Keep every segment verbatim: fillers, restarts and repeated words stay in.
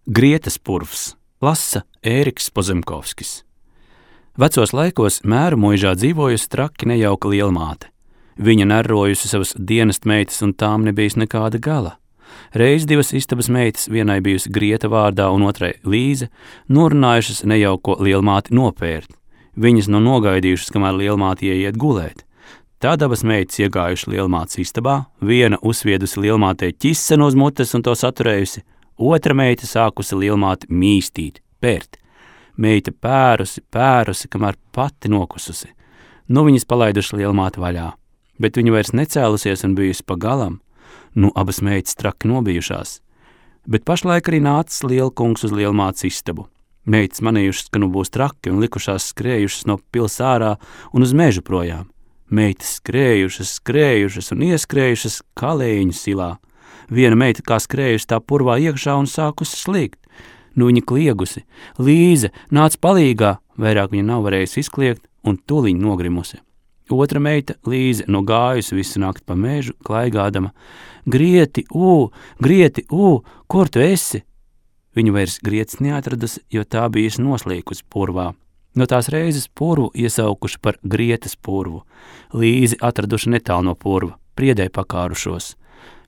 Grietas purvs, lasa Ēriks Pozemkovskis. Vecos laikos Mēru muižā dzīvojusi traki nejauka lielmāte. Viņa nerrojusi savas dienestmeitas, un tām nebijis nekāda gala. Reiz divas istabas meitas, vienai bijusi Grieta vārdā un otrai Līze, norunājušas nejauko lielmāti nopērt. Viņas no nogaidījušas, kamēr lielmāte ieiet gulēt. Tad abas meitas iegājuši lielmātes istabā, viena uzsviedusi lielmātei ķisenu uz mutes un to saturējusi, otra meita sākusi lielmāti mīstīt, pērt. Meita pērusi, pērusi, kamēr pati nokususi. Nu viņas palaiduši lielmāti vaļā, bet viņa vairs necēlusies un bijusi pa galam. Nu abas meitas traki nobijušās. Bet pašlaik arī nācis lielkungs uz lielmātes istabu. Meitas manījušas, ka nu būs traki un likušās skrējušas no pils ārā un uz mežu projām. Meitas skrējušas, skrējušas un ieskrējušas kalēņu silā. Viena meita kā skrējusi tā purvā iekšā un sākusi slīgt. Nu viņa kliegusi. Līze, nāc palīgā, vairāk viņa nav varējusi izkliegt un tuliņ nogrimusi. Otra meita, Līze, no gājusi visu nakti pa mežu, klaigādama. Grieti, ū, Grieti, ū, kur tu esi? Viņu vairs Grietas neatradusi, jo tā bijusi noslīkusi purvā. No tās reizes purvu iesaukuši par Grietas purvu. Līzi atraduši netālu no purva, priedē pakārušos.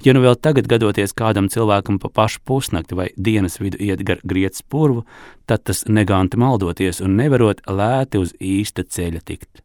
Ja nu vēl tagad gadoties kādam cilvēkam pa pašu pusnakti vai dienas vidu iet gar Grietas purvu, tad tas neganti maldoties un nevarot lēti uz īsta ceļa tikt.